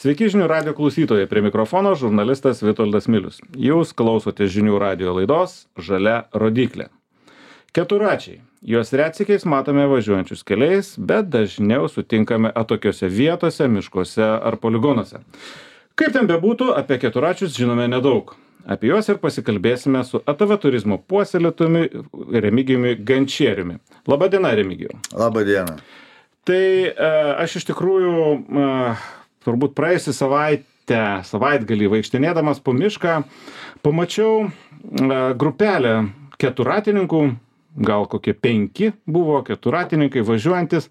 Sveiki žinių radio klausytojai, prie mikrofono žurnalistas Vitoldas Milius. Jūs klausote žinių radio laidos Žalia rodyklė. Keturračiai. Juos retsykiais matome važiuojančius keliais, bet dažniau sutinkame atokiose vietose, miškuose ar poligonuose. Kaip ten bebūtų, apie keturračius žinome nedaug. Apie juos ir pasikalbėsime su ATV turizmo puoselėtojumi Remigijumi Gančieriumi. Labadiena, Remigijau. Labadiena. Tai aš iš tikrųjų turbūt praėjusią savaitgalį vaikštinėdamas po mišką pamačiau grupelę keturratininkų, gal kokie 5 buvo keturratininkai važiuojantis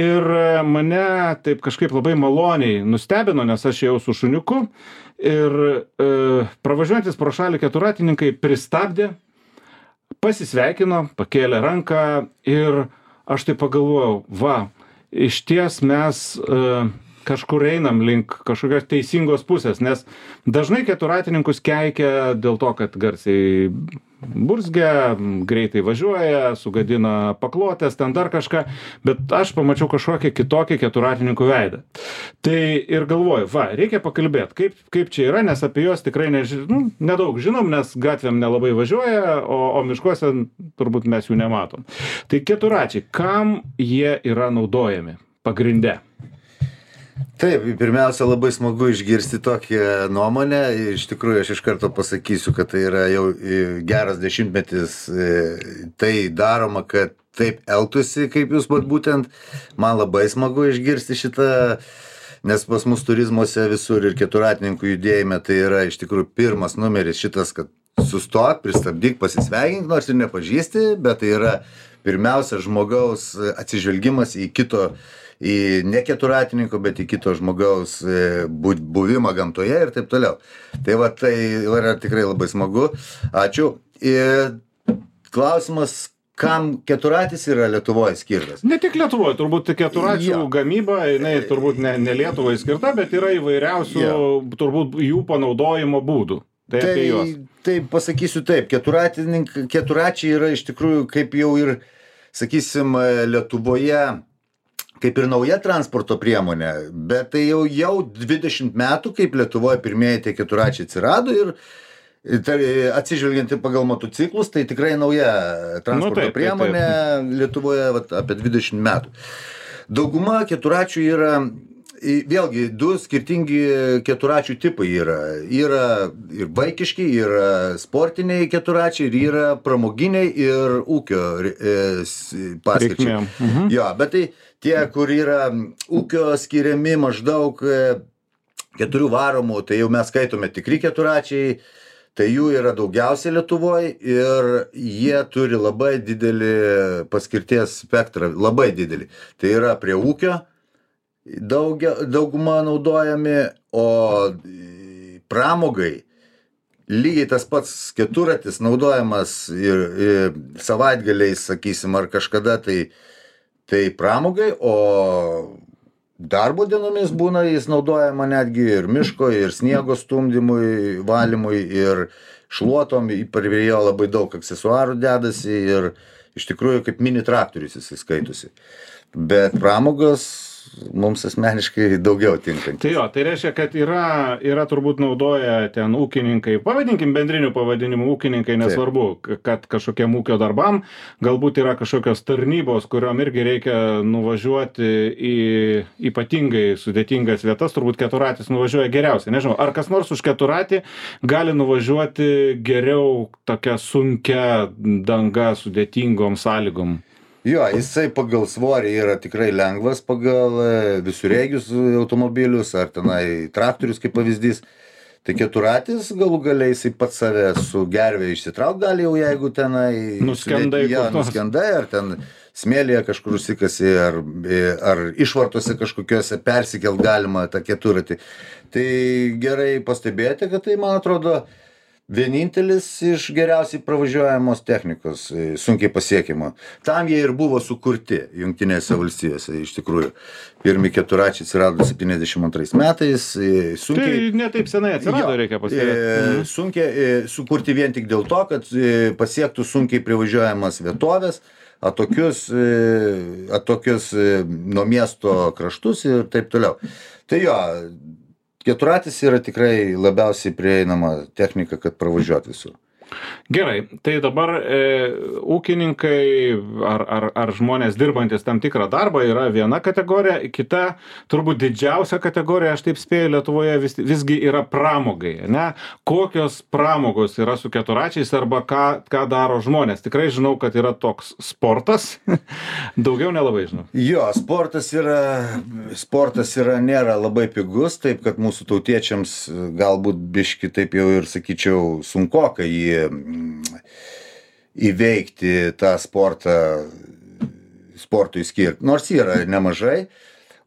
ir mane taip kažkaip labai maloniai nustebino, nes aš ėjau su šuniuku ir pravažiuojantis pro šalį keturratininkai pristabdė, pasisveikino, pakėlė ranką ir aš taip pagalvojau, išties mes kažkur einam link kažkokios teisingos pusės, nes dažnai keturratininkus keikia dėl to, kad garsiai burzgia, greitai važiuoja, sugadina paklotės, ten dar kažką, bet aš pamačiau kažkokią kitokį keturratininkų veidą. Tai ir galvoju, reikia pakalbėti, kaip čia yra, nes apie juos tikrai nedaug žinom, nes gatvėm nelabai važiuoja, o miškuose turbūt mes jų nematom. Tai keturračiai, kam jie yra naudojami pagrinde? Taip, pirmiausia, labai smagu išgirsti tokią nuomonę. Iš tikrųjų, aš iš karto pasakysiu, kad tai yra jau geras 10-metis tai daroma, kad taip elgtųsi, kaip jūs būtent. Man labai smagu išgirsti šitą, nes pas mus turizmuose visur ir keturratininkų judėjime tai yra iš tikrųjų pirmas numeris šitas, kad sustok, pristabdyk, pasisveikink, nors ir nepažįsti, bet tai yra pirmiausia žmogaus atsižvelgimas į kito, į ne keturratininko, bet į kito žmogaus buvimą gamtoje ir taip toliau. Tai tai yra tikrai labai smagu. Ačiū. Ir klausimas, kam keturratis yra Lietuvoje skirtas? Ne tik Lietuvoje, turbūt keturračių gamyba, jinai turbūt ne Lietuvoje skirta, bet yra įvairiausių turbūt jų panaudojimo būdų. Tai apie juos. Tai pasakysiu taip, keturračiai yra iš tikrųjų kaip jau ir, sakysim, Lietuvoje kaip ir nauja transporto priemonė, bet tai jau 20 metų, kaip Lietuvoje pirmieji tie keturračiai atsirado ir atsižvelgiant pagal motociklus, tai tikrai nauja transporto priemonė Lietuvoje apie 20 metų. Dauguma keturračių yra, vėlgi, 2 skirtingi keturračių tipai yra. Yra ir vaikiški, yra sportiniai keturračiai, ir yra pramoginiai ir ūkio paskirčiai. Jo, bet tai tie, kur yra ūkio skiriami maždaug 4 varomų, tai jau mes skaitome tikri keturračiai, tai jų yra daugiausiai Lietuvoje ir jie turi labai didelį paskirties spektrą, labai didelį. Tai yra prie ūkio dauguma naudojami, o pramogai lygiai tas pats keturratis naudojamas ir savaitgaliais, sakysim, ar kažkada tai pramogai, o darbo dienomis būna jis naudojama netgi ir miško, ir sniego stumdymui, valymui, ir šluotom, prie jo labai daug aksesuarų dedasi ir iš tikrųjų kaip mini traktorius jis skaitosi. Bet pramogos mums asmeniškai daugiau tinkantis. Tai tai reiškia, kad yra turbūt naudoja ten ūkininkai, pavadinkim bendrinių pavadinimų ūkininkai, nesvarbu, kad kažkokiem ūkio darbam, galbūt yra kažkokios tarnybos, kuriom irgi reikia nuvažiuoti į ypatingai sudėtingas vietas, turbūt keturratis nuvažiuoja geriausiai. Nežinau, ar kas nors už keturratį gali nuvažiuoti geriau tokia sunkia danga sudėtingom sąlygom? Jo, jisai pagal svorį yra tikrai lengvas, pagal visureigius automobilius ar tenai traktorius kaip pavyzdys. Tai keturratis galų galiai jisai pats save su gervė išsitrauk gali jau, jeigu tenai nuskendai ar ten smėlyje kažkur užsikasi ar išvartose kažkokiuose persikelt galima tą keturratį. Tai gerai pastebėti, kad tai, man atrodo, vienintelis iš geriausiai pravažiuojamos technikos, sunkiai pasiekimo. Tam jie ir buvo sukurti Jungtinėse valstijose, iš tikrųjų. Pirmi keturračiai atsirado 72 metais. Tai ne taip senai atsirado, reikia pasakyti. Sunkiai sukurti vien tik dėl to, kad pasiektų sunkiai privažiuojamas vietovės, atokius nuo miesto kraštus ir taip toliau. Tai jo, Keturratis yra tikrai labiausiai prieinama technika, kad pravažiuot visur. Gerai, tai dabar ūkininkai ar žmonės dirbantis tam tikrą darbą yra viena kategorija, kita, turbūt didžiausia kategorija, aš taip spėju, Lietuvoje visgi yra pramogai, ne? Kokios pramogos yra su keturračiais arba ką daro žmonės? Tikrai žinau, kad yra toks sportas, daugiau nelabai žinau. Jo, sportas nėra labai pigus, taip kad mūsų tautiečiams galbūt biški taip jau ir sakyčiau sunkoka jį įveikti tą sportui skirti, nors yra nemažai,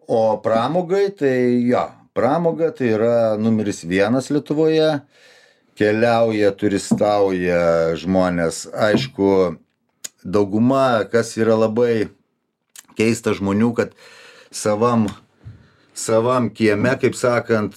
o pramogai tai pramoga tai yra numeris 1 Lietuvoje, keliauja, turistauja žmonės, aišku, dauguma, kas yra labai keista žmonių, kad savam kieme, kaip sakant,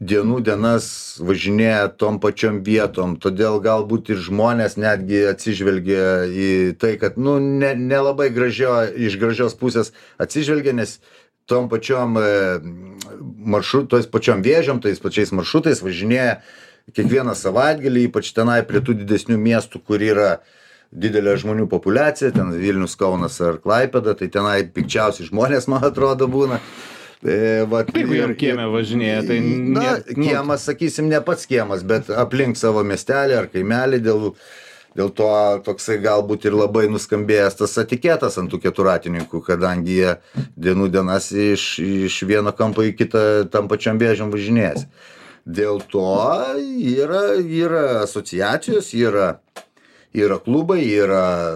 dienas važinėja tom pačiom vietom, todėl galbūt ir žmonės netgi atsižvelgia į tai, kad, nelabai iš gražios pusės atsižvelgia, nes tom pačiom tais pačiom vėžiom, tais pačiais maršrutais važinėja kiekvieną savaitgalį, ypač tenai prie tų didesnių miestų, kur yra didelė žmonių populiacija, ten Vilnius, Kaunas ar Klaipėda, tai tenai pikčiausi žmonės, man atrodo, būna. Jeigu jam kieme važinėja, tai... Kiemas, sakysim, ne pats kiemas, bet aplink savo miestelį ar kaimelį, dėl to toksai galbūt ir labai nuskambėjęs tas etiketas ant tų keturratininkų, kadangi jie dienas iš vieno kampo į kitą tam pačiam vėžiam važinėjasi. Dėl to yra asociacijos, yra klubai, yra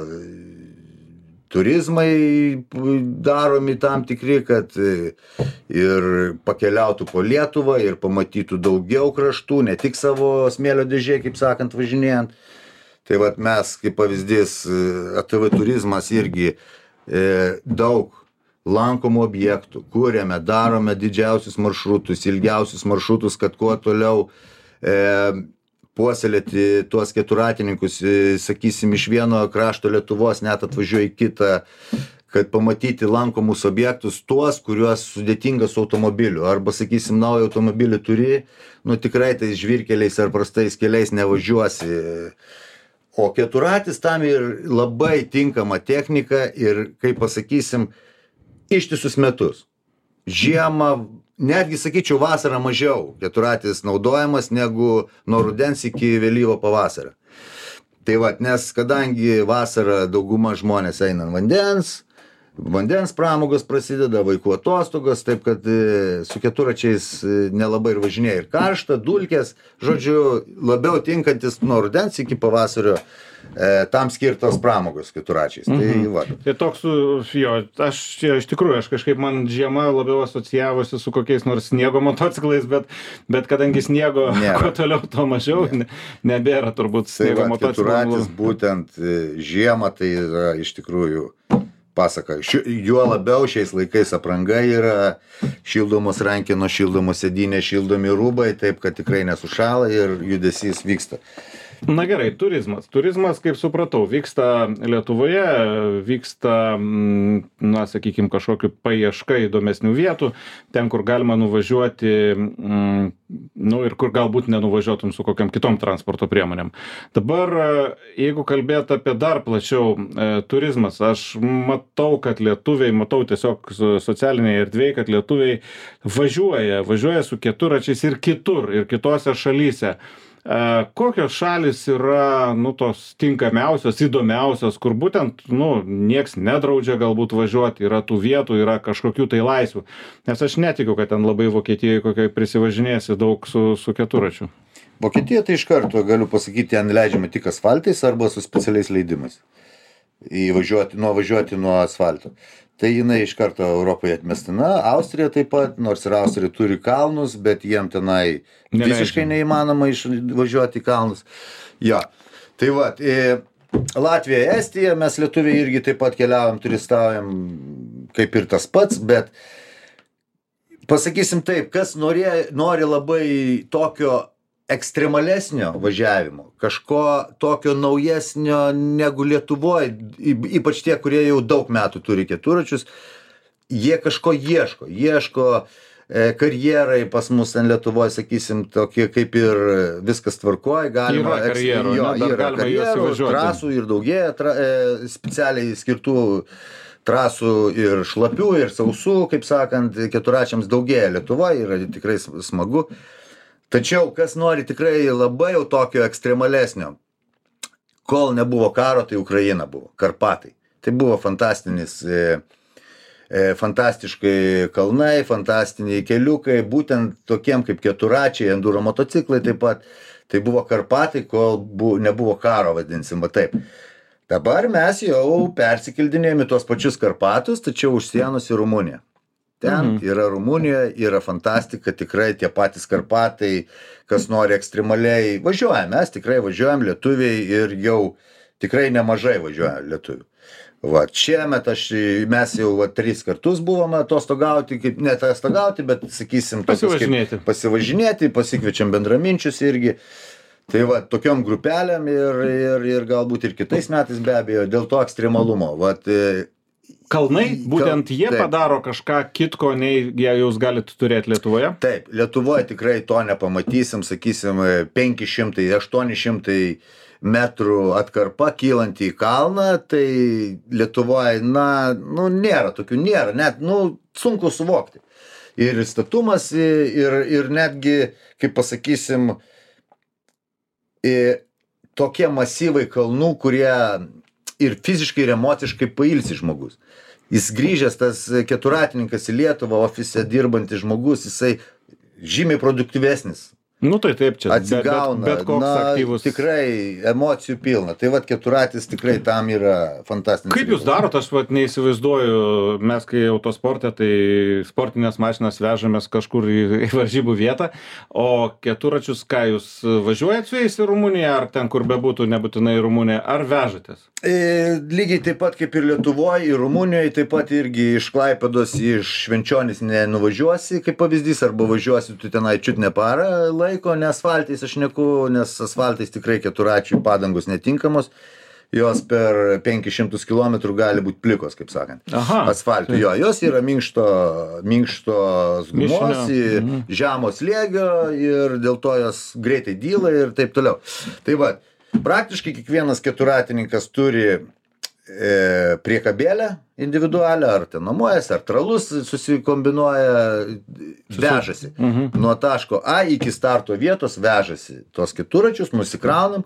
turizmai daromi tam tikri, kad ir pakeliautų po Lietuvą ir pamatytų daugiau kraštų, ne tik savo smėlio dėžė, kaip sakant, važinėjant. Tai vat mes, kaip pavyzdys, ATV turizmas irgi daug lankomų objektų, kuriame, darome didžiausius maršrutus, ilgiausius maršrutus, kad kuo toliau puoselėti tuos keturratininkus, sakysim, iš vieno krašto Lietuvos net atvažiuoja į kitą, kad pamatyti lankomus objektus, tuos, kuriuos sudėtinga su automobiliu. Arba, sakysim, naują automobilį turi, tikrai tais žvyrkeliais ar prastais keliais nevažiuosi. O keturratis tam ir labai tinkama technika ir, kaip pasakysim, ištisus metus. Žiemą, netgi, sakyčiau, vasarą mažiau keturratis naudojamas negu nuo rudens iki vėlyvo pavasario. Tai vat, nes kadangi vasarą dauguma žmonės eina ant vandens pramogos prasideda, vaikų atostogos, taip kad su keturračiais nelabai ir važinėja ir karšta, dulkės, žodžiu, labiau tinkantis nuo rudens iki pavasario tam skirtos pramogos keturračiais. Tai va. Tai toks, iš tikrųjų, kažkaip man žiema labiau asocijavosi su kokiais nors sniego motociklais, bet kadangi sniego kuo toliau, to mažiau, nebėra turbūt sniego motociklų. Keturratis būtent žiemą tai yra iš tikrųjų pasaka. Juo labiau šiais laikais apranga yra šildomos rankenos, šildomos sėdynės, šildomi rūbai, taip kad tikrai nesušąla ir judesys vyksta. Na gerai, turizmas. Turizmas, kaip supratau, vyksta Lietuvoje, vyksta, sakykime, kažkokiu paieška įdomesnių vietų, ten, kur galima nuvažiuoti, ir kur galbūt nenuvažiuotum su kokiam kitom transporto priemonėm. Dabar, jeigu kalbėt apie dar plačiau turizmas, aš matau, kad lietuviai, tiesiog socialinėje erdvėje, kad lietuviai važiuoja su keturračiais ir kitur, ir kitose šalyse. Kokios šalis yra, tos tinkamiausios, įdomiausios, kur būtent, nieks nedraudžia galbūt važiuoti, yra tų vietų, yra kažkokių tai laisvių. Nes aš netikiu, kad ten labai Vokietijoje kokiai prisivažinėsi daug su keturračiu. Vokietija tai iš karto, galiu pasakyti, ten leidžiama tik asfaltais arba su specialiais leidimais. Važiuoti nuo asfalto. Tai jinai iš karto Europoje atmestina, Austrija taip pat, nors ir Austrija turi kalnus, bet jiem tenai visiškai neįmanoma važiuoti į kalnus. Jo, tai va, Latvija, Estija, mes lietuviai irgi taip pat keliaujam, turistaujam, kaip ir tas pats, bet pasakysim taip, kas nori labai tokio ekstremalesnio važiavimo, kažko tokio naujesnio negu Lietuvoje, ypač tie, kurie jau daug metų turi keturračius, jie kažko ieško karjerai pas mus ten Lietuvoje, sakysim, tokie kaip ir viskas tvarkoja, galima... Yra karjerų, yra karjerų, trasų ir daugėja specialiai skirtų trasų ir šlapių, ir sausų, kaip sakant, keturračiams daugėja Lietuvoje, yra tikrai smagu. Tačiau, kas nori tikrai labai jau tokio ekstremalesnio, kol nebuvo karo, tai Ukraina buvo, Karpatai. Tai buvo fantastiškai kalnai, fantastiniai keliukai, būtent tokiem kaip keturračiai, enduro motociklai taip pat. Tai buvo Karpatai, kol nebuvo karo, vadinsim, taip. Dabar mes jau persikeldinėjame tuos pačius Karpatus, tačiau už sienos į Rumuniją. Ten yra Rumunijoje, yra fantastika, tikrai tie patys Karpatai, kas nori ekstremaliai, važiuojam, mes tikrai važiuojam, lietuviai, ir jau tikrai nemažai važiuojam lietuvių. Va, šiemet mes jau 3 kartus buvome atostogauti, kaip ne atostogauti, bet, sakysim, pasivažinėti, pasikviečiam bendraminčius irgi. Tai va, tokiom grupelėm ir galbūt ir kitais metais be abejo, dėl to ekstremalumo. Vat, kalnai, būtent jie taip padaro kažką kitko, nei jie jūs galite turėti Lietuvoje? Taip, Lietuvoje tikrai to nepamatysim, sakysim, 500-800 metrų atkarpa kylanti į kalną, tai Lietuvoje, nėra tokių, net, sunku suvokti. Ir statumas, ir netgi, kaip pasakysim, tokie masyvai kalnų, kurie ir fiziškai, ir emociškai pailsi žmogus. Jis grįžęs, tas keturratininkas į Lietuvą, ofise dirbantis žmogus, jisai žymiai produktyvesnis. Tai taip, čia atsigauna, bet koks aktyvus. Tikrai emocijų pilna. Tai vat tikrai tam yra fantastinis. Kaip jūs darot, aš neįsivaizduoju, mes kai autosporte, tai sportinės mašinas vežamės kažkur į varžybų vietą, o keturračius, ką jūs važiuojat su jais į Rumuniją, ar ten, kur bebūtų, nebūtinai į Rumuniją, ar vežatės? Lygiai taip pat kaip ir Lietuvoje, ir Rumunijoje, taip pat irgi iš Klaipėdos, iš Švenčionys nenuvažiuosi, kaip pavyzdys, arba važiuosi tu tenai čiut ne parą laiko, ne asfaltais aš neku, nes asfaltais tikrai keturračių padangos netinkamos, jos per 500 km gali būti plikos, kaip sakant. Asfaltų, jos yra minkštos gumos, žemo slėgio, ir dėl to jos greitai dyla ir taip toliau. Tai va, praktiškai kiekvienas keturratininkas turi priekabėlę individualią, ar ten nuomojasi, ar tralus susikombinuoja, vežasi. Nuo taško A iki starto vietos vežasi tos keturračius, nusikraunam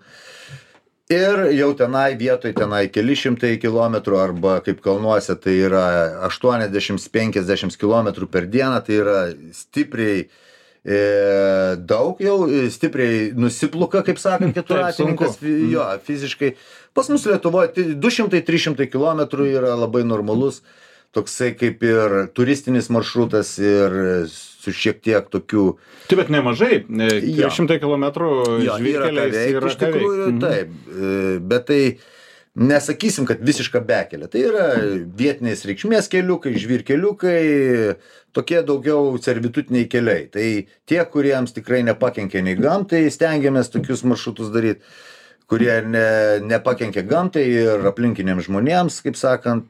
ir jau tenai vietoj, keli šimtai kilometrų, arba kaip kalnuose, tai yra 80-50 kilometrų per dieną, tai yra stipriai daug jau, stipriai nusipluka, kaip sakant, keturratininkas, fiziškai. Pas mus Lietuvoje 200-300 km yra labai normalus, toksai kaip ir turistinis maršrutas ir su šiek tiek tokių... Taip, bet nemažai, 300 km žvyrkeliais yra ką veikti. Taip, bet tai nesakysim, kad visiška bekelė. Tai yra vietinės reikšmės keliukai, žvyrkeliukai, tokie daugiau servitutiniai keliai. Tai tie, kuriems tikrai nepakenkia nei gamtai, stengiamės tokius maršrutus daryti, kurie nepakenkia gamtai ir aplinkiniams žmonėms, kaip sakant,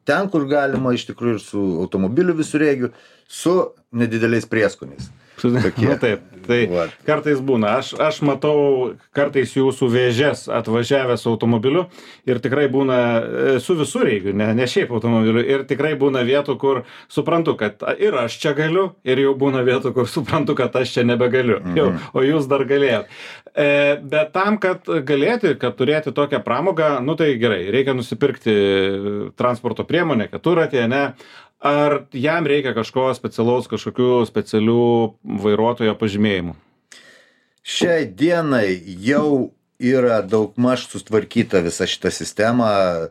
ten, kur galima iš tikrųjų ir su automobiliu visureigiu, su nedideliais prieskoniais. Taip, tai kartais būna. Aš matau kartais jūsų vėžes atvažiavęs automobiliu ir tikrai būna su visureigiu, ne šiaip automobiliu, ir tikrai būna vietų, kur suprantu, kad ir aš čia galiu, ir jau būna vietų, kur suprantu, kad aš čia nebegaliu, o jūs dar galėjot. Bet tam, kad galėti, kad turėti tokią pramogą, tai gerai, reikia nusipirkti transporto priemonę, keturratį, ne? Ar jam reikia kažkokių specialių vairuotojo pažymėjimų? Šiai dienai jau yra daugmaž sutvarkyta visa šita sistema,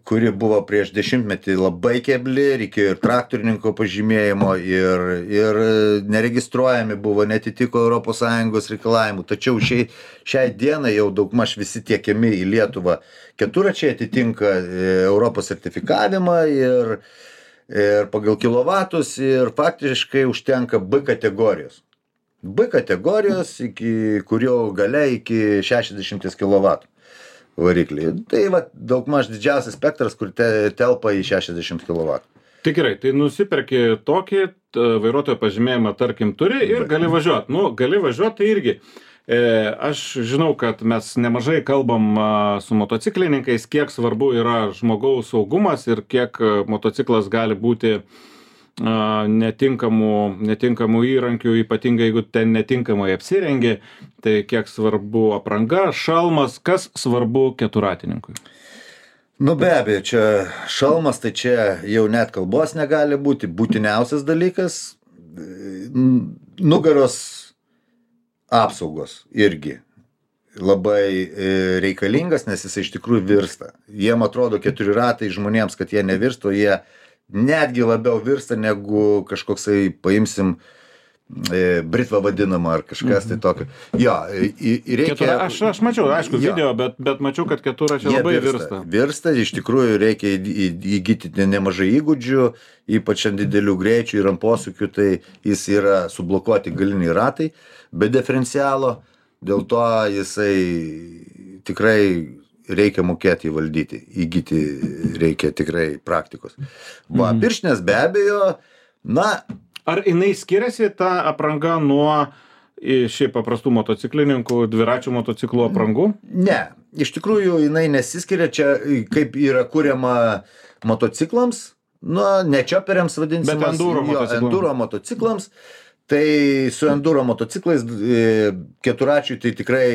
kuri buvo prieš 10-metį labai kebli, reikėjo ir traktorininko pažymėjimo, ir neregistruojami buvo, netitiko ES reikalavimų. Tačiau šiai dienai jau daugmaž visi tiekiami į Lietuvą keturračiai atitinka Europos sertifikavimą ir pagal kilovatus, ir faktiškai užtenka B kategorijos. B kategorijos, kurio galia iki 60 kW variklį. Tai daugmaž didžiausias spektras, kur telpa į 60 kW. Tai gerai, tai nusiperki tokį vairuotojo pažymėjimą, tarkim, turi ir gali važiuoti. Nu, gali važiuoti tai irgi. Aš žinau, kad mes nemažai kalbam su motociklininkais, kiek svarbu yra žmogaus saugumas ir kiek motociklas gali būti netinkamų įrankių, ypatingai jeigu ten netinkamai apsirengi, tai kiek svarbu apranga, šalmas, kas svarbu keturratininkui. Nu be abejo, čia šalmas, tai čia jau net kalbos negali būti, būtiniausias dalykas, nugaros apsaugos irgi labai reikalingas, nes jis iš tikrųjų virsta. Jiem atrodo 4 ratai žmonėms, kad jie nevirsto, jie netgi labiau virsta negu kažkoksai, paimsim, britva vadinama ar kažkas tai tokio. Jo, reikia... Aš mačiau, aišku, video, bet mačiau, kad keturračiai labai virsta. Virsta, iš tikrųjų reikia įgyti nemažai įgūdžių, ypač ant didelių greičių ir ant posūkių, tai jis yra sublokuoti galiniai ratai, be diferencialo, dėl to jisai tikrai reikia mokėti įvaldyti, įgyti reikia tikrai praktikos. Va, pirštinės be abejo, na... Ar jinai skiriasi ta apranga nuo šiaip paprastų motociklininkų, dviračių motociklų aprangų? Ne, iš tikrųjų jinai nesiskiria, čia kaip yra kuriama motociklams, nu, ne čioperiams vadinsimas, enduro motociklams. Tai su enduro motociklais keturračiui tai tikrai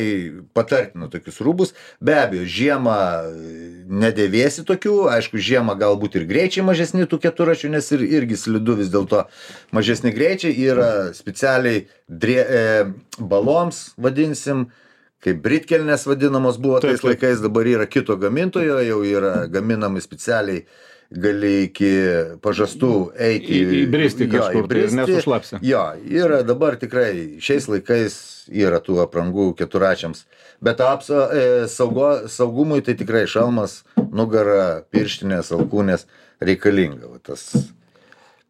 patartina tokius rūbus. Be abejo, žiemą nedėvėsi tokių, aišku, žiemą galbūt ir greičiai mažesni tų keturračių, nes irgi slidu vis dėlto mažesni greičiai, yra specialiai baloms, vadinsim, kaip britkelnės vadinamos buvo tais laikais, dabar yra kito gamintojo, jau yra gaminami specialiai, gali iki pažastų eiti įbristi kažkur, tai nesušlapsi. Jo, yra dabar tikrai šiais laikais yra tų aprangų keturračiams, bet saugumui tai tikrai šalmas, nugara, pirštinės, alkūnės reikalinga.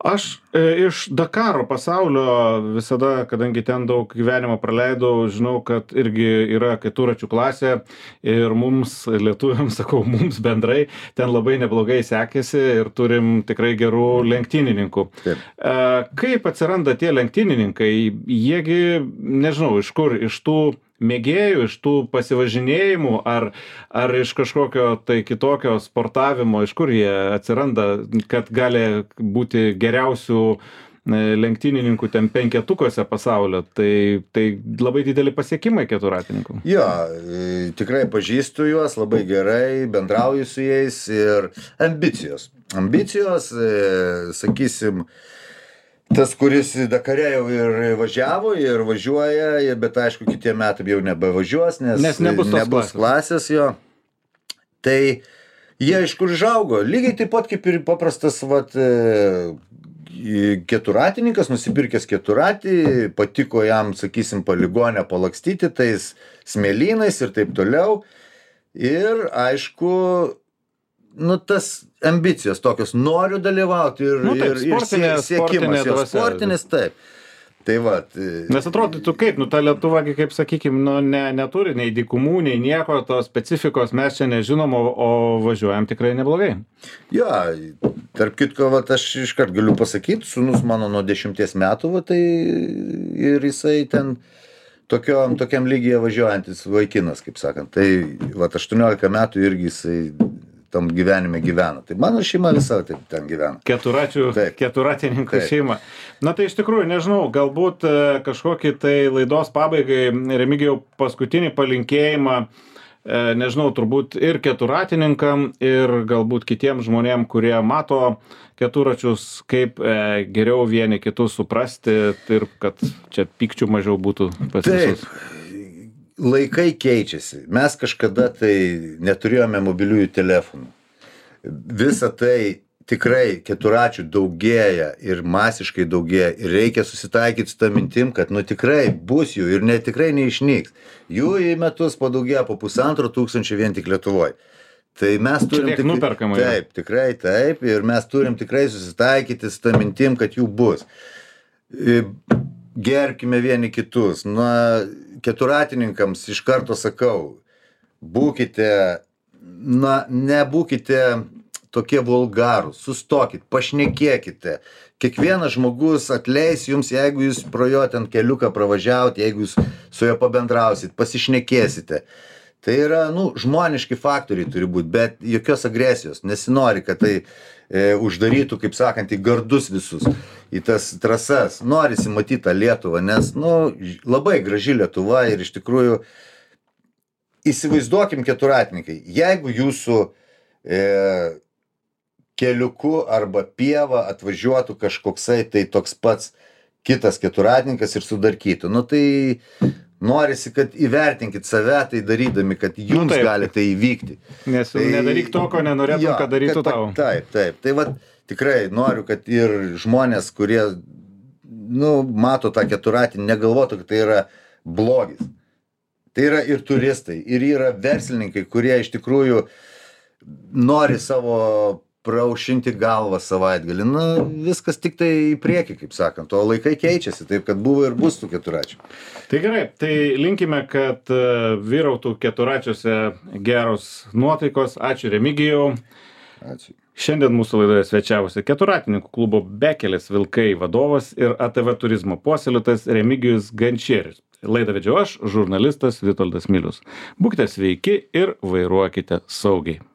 Aš iš Dakaro pasaulio visada, kadangi ten daug gyvenimo praleidau, žinau, kad irgi yra keturračių klasė ir mums, lietuviams, sakau, mums bendrai, ten labai neblogai sekėsi ir turim tikrai gerų lenktynininkų. Taip. Kaip atsiranda tie lenktynininkai? Jiegi, nežinau, iš kur, iš tų mėgėjų, iš tų pasivažinėjimų, ar iš kažkokio tai kitokio sportavimo, iš kur jie atsiranda, kad gali būti geriausių lenktynininkų ten penketukuose pasaulio, tai labai dideli pasiekimai keturratininkų. Jo, tikrai pažįstu juos labai gerai, bendrauju su jais ir ambicijos. Ambicijos, sakysim, tas, kuris Dakare jau ir važiavo, ir važiuoja, bet aišku, kitie metai jau nebevažiuos, nes nebus klasės jo. Tai jie iš kur žaugo, lygiai taip pat kaip ir paprastas keturratininkas, nusipirkęs keturratį, patiko jam, sakysim, poligonę palakstyti tais smėlynais ir taip toliau. Ir aišku, nu tas ambicijos tokios, noriu dalyvauti ir siekimas jo sportinis, taip. Tai va. Nes atrodytų kaip, ta Lietuva, kaip sakykim, neturi nei dykumų, nei nieko, tos specifikos mes čia nežinom, o važiuojam tikrai neblogai. Jo, tarp kitko, aš iškart galiu pasakyti, sūnus mano nuo 10 metų, tai ir jisai ten tokiam lygyje važiuojantis vaikinas, kaip sakant. Tai 18 metų irgi jisai tam gyvenime gyvena. Tai mano šeima visa taip ten gyvena. Keturratininkų šeima. Na tai iš tikrųjų, nežinau, galbūt kažkokį tai laidos pabaigai, Remigijau, paskutinį palinkėjimą, nežinau, turbūt ir keturratininkam, ir galbūt kitiems žmonėm, kurie mato keturračius, kaip geriau vieni kitus suprasti ir kad čia pykčių mažiau būtų pas visus. Laikai keičiasi. Mes kažkada tai neturėjome mobiliųjų telefonų. Visa tai tikrai keturračių daugėja ir masiškai daugėja ir reikia susitaikyti su tą mintim, kad tikrai bus jų ir tikrai neišnyks. Jų į metus padaugėja po 1500 vien tik Lietuvoje. Tai mes turim taip, tikrai taip ir mes turim tikrai susitaikyti su tą mintim, kad jų bus. Gerbkime vieni kitus. Keturratininkams iš karto sakau, nebūkite tokie vulgarūs, sustokit, pašnekėkite. kiekvienas žmogus atleis jums, jeigu jūs pro jo ten keliuką pravažiavot, jeigu jūs su juo pabendrausit, pasišnekėsite. Tai yra, žmoniški faktoriai turi būti, bet jokios agresijos. Nesinori, kad tai uždarytų, kaip sakant, į gardus visus, į tas trasas. Norisi matyti tą Lietuvą, nes, labai graži Lietuva ir iš tikrųjų įsivaizduokim keturratininkai. Jeigu jūsų keliuku arba pieva atvažiuotų kažkoksai tai toks pats kitas keturratininkas ir sudarkytų, tai norisi, kad įvertinkit save tai darydami, kad jums gali tai įvykti. Nes nedaryk to, ko nenorėtum, kad darytų tau. Taip. Tai tikrai noriu, kad ir žmonės, kurie, mato tą keturratinį, negalvotų, kad tai yra blogis. Tai yra ir turistai, ir yra verslininkai, kurie iš tikrųjų nori savo praušinti galvą savaitgalį. Viskas tik tai į priekį, kaip sakant, o laikai keičiasi, taip kad buvo ir bus tų keturračių. Tai gerai, tai linkime, kad vyrautų keturračiuose geros nuotaikos. Ačiū Remigijau. Ačiū. Šiandien mūsų laidoje svečiavosi keturratininkų klubo Bekelės Vilkai vadovas ir ATV turizmo puoselėtojas Remigijus Gančierius. Laidą vedžiau aš, žurnalistas Vitoldas Milius. Būkite sveiki ir vairuokite saugiai.